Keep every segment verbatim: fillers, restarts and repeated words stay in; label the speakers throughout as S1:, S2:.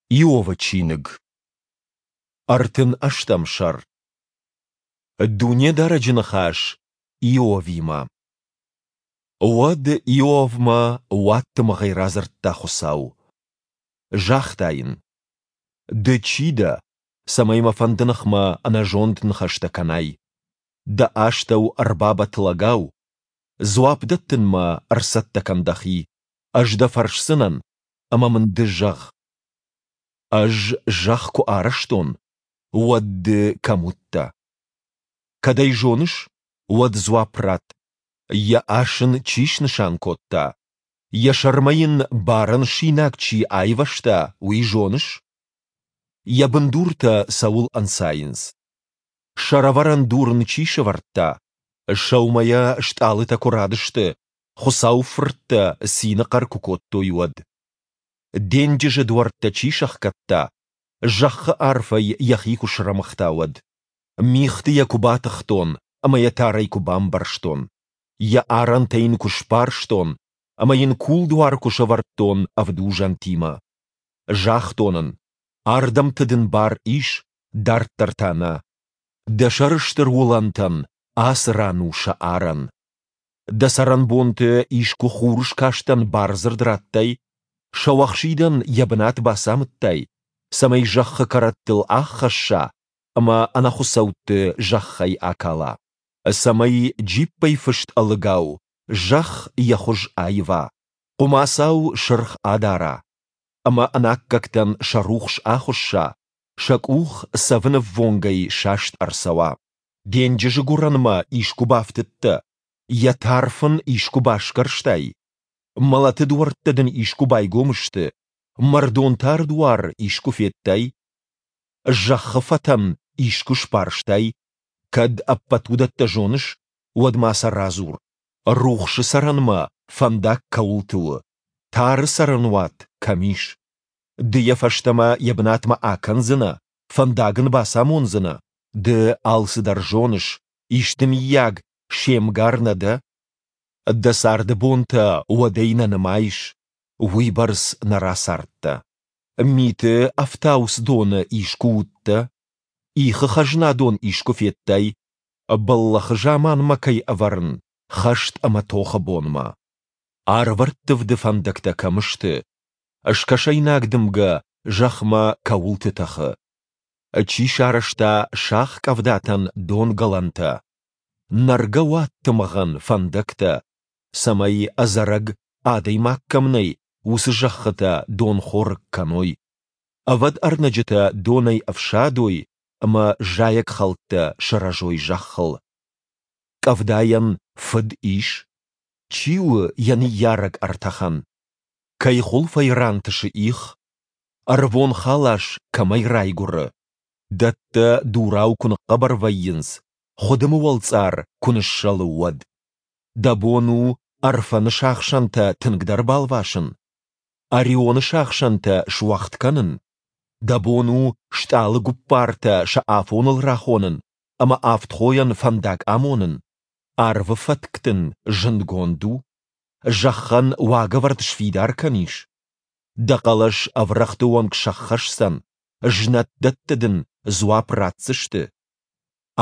S1: Иовы чиныг, ӕртын ӕстӕм сӕр. Дунедарӕджы ныхас Иовимӕ. Уӕд Иовмӕ уадтымыгъӕй радзырдта Хуыцау. Загъта йын: Ды чи дӕ, цӕмӕй мӕ фӕнды ныхмӕ ӕнӕзонд ныхӕстӕ кӕнай? Дӕ астӕу ӕрбабӕтт лӕгау. Дзуапп дӕттынмӕ ӕрцӕттӕ кӕн дӕхи. Ӕз дӕ фӕрсдзынӕн, ӕмӕ мын ды зӕгъ. Ӕз зӕхх куы арӕзтон, уӕд ды кӕм уыдтӕ? Кӕд ӕй зоныс, уӕд дзуапп ратт: йӕ ас ын чи снысан кодта, йӕ сӕрмӕ йын барӕн синаг чи айвӕзта, уый зоныс? Йӕ бындуртӕ цӕуыл ӕнцайынц? Сӕрӕвӕрӕн дур ын чи сӕвӕрдта? Сӕумӕйӕ стъалытӕ куы радысты, Хуыцауы фырттӕ цины хъӕр куы кодтой, уӕд. Денджызы дуӕрттӕ чи сӕхгӕдта, зӕххы арфӕй йӕхи куы срӕмыгъта, уӕд. Мигъты йӕ куы батыхтон ӕмӕ йӕ тарӕй куы бамбӕрзтон. Йӕ арӕнтӕ йын куы сбарстон ӕмӕ йын кулдуар куы сӕвӕрдтон ӕвдузӕнтимӕ. Загътон ын, ардӕмты дын бар ис, дарддӕр та нӕ. Дӕ сӕрыстыр уылӕнтӕн ацы ран у сӕ арӕн. Дӕ цӕрӕнбонты искуы хурыскастӕн бардзырд радтай, сӕуӕхсидӕн йӕ бынат бацамыдтай, цӕмӕй зӕххы кӕрӕттыл аххӕсса ӕмӕ ӕнӕхуыцӕутты зӕххӕй акала, цӕмӕй джиппӕй фыст ӕлыгау зӕхх йӕ хуыз аива, хъуымацау сырх адара, ӕмӕ ӕнаккӕгтӕн сӕ рухс ахуысса, сӕ къух цӕвынӕввонгӕй саст ӕрцӕуа. Денджызы гуырӕнмӕ искуы бафтыдтӕ, йӕ тарф ын искуы басгӕрстай? Мӕлӕты дуӕрттӕ дын искуы байгом сты, мӕрдон тар дуар искуы федтай? Зӕххы фӕтӕн искуы сбарстай? Кӕд ӕппӕт уыдӕттӕ зоныс, уӕд ма сӕ радзур. Рухсы цӕрӕнмӕ фӕндаг кӕуылты у, тары цӕрӕнуат кӕм ис? Ды йӕ фӕстӕмӕ йӕ бынатмӕ акӕндзынӕ, фӕндаг ын бацамондзынӕ? Ды алцыдӕр зоныс, исты мыййаг се мгар нӕ дӕ? Дӕ царды бонтӕ уӕдӕй нӕ нымайыс, уыйбӕрц нӕ рацардтӕ. Миты ӕфтауцдоны искуы уыдтӕ? Ихы хӕзнадон искуы федтай? Бӕллӕхы заманмӕ кӕй ӕвӕрын, хӕст ӕмӕ тохы бонмӕ. Арвӕрттывды фӕндӕгтӕ кӕм сты? Скӕсӕйнаг дымгӕ зӕхмӕ кӕуылты тӕхы? Чи сарӕзта сах къӕвдатӕн донгӕлӕнтӕ? Нӕргӕ уадтымыгъӕн фӕндӕгтӕ, цӕмӕй ӕдзӕрӕг адӕймаг кӕм нӕй, уыцы зӕххытӕ донхорыг кӕной, ӕвӕд ӕрнӕджытӕ донӕй ӕфсадой ӕмӕ зайӕгхӕлттӕ сырӕзой зӕххыл. Къӕвдайӕн фыд ис? Чи у йӕ ныййарӕг ӕртӕхӕн? Кӕй хуылфӕй рантысы их? Ӕрвон халас кӕмӕй райгуыры? Дӕттӕ дурау куы ныхъхъӕбӕр вӕййынц, хуыдымы уӕлцъар куы ныссӕлы, уӕд. Дӕ бон у Ӕрфӕны сахсӕнтӕ тынгдӕр балвасын? Орионы сахсӕнтӕ суӕгъд кӕнын? Дӕ бон у стъалыгуппартӕ сӕ афоныл рахонын ӕмӕ авдхойӕн фӕндаг амонын? Арвы фӕтк дын зындгонд у? Зӕххӕн уагӕвӕрд сфидар кӕнис? Дӕ хъӕлӕс ӕврӕгъты онг сӕххӕсдзӕн, знӕт дӕттӕ дын дзуапп ратдзысты?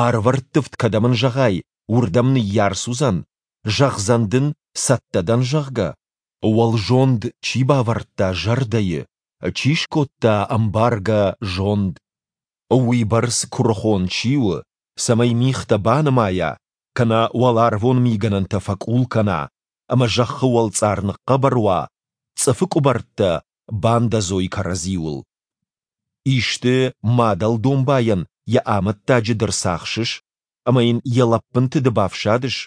S1: Арвӕрттывд кӕдӕм ын зӕгъай, уырдӕм ныййарц уыдзӕн, зӕгъдзӕн дын, цӕттӕ дӕн, зӕгъгӕ? Уӕлзонд чи бавӕрдта зӕрдӕйы, чи скодта ӕмбаргӕ зонд? Уыйбӕрц куырыхон чи у, цӕмӕй мигътӕ банымайа, кӕнӕ уӕларвон мигӕнӕнтӕ фӕкъул кӕна, ӕмӕ зӕххы уӕлцъар ныхъхъӕбӕр уа, цъыфы къуыбӕрттӕ бандӕдзой кӕрӕдзиуыл. Исты мадӕл домбайӕн йӕ амӕттаджы ды рцахсыс, ӕмӕ йын йӕ лӕппынты ды бафсадыс,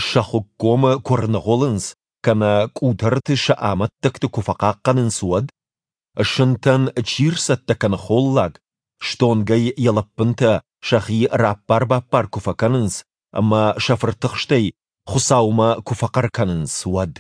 S1: сӕ хуыккомы куы рныгъуылынц кӕнӕ къутӕрты сӕ амӕттӕгты куы фӕхъахъхъӕнынц, уӕд? Сынтӕн чи рцӕттӕ кӕны холлаг, стонгӕй йӕ лӕппынтӕ сӕхи раппар-баппар куы фӕкӕнынц ӕмӕ сӕ фыртыхстӕй Хуыцаумӕ куы фӕхъӕр кӕнынц, уӕд?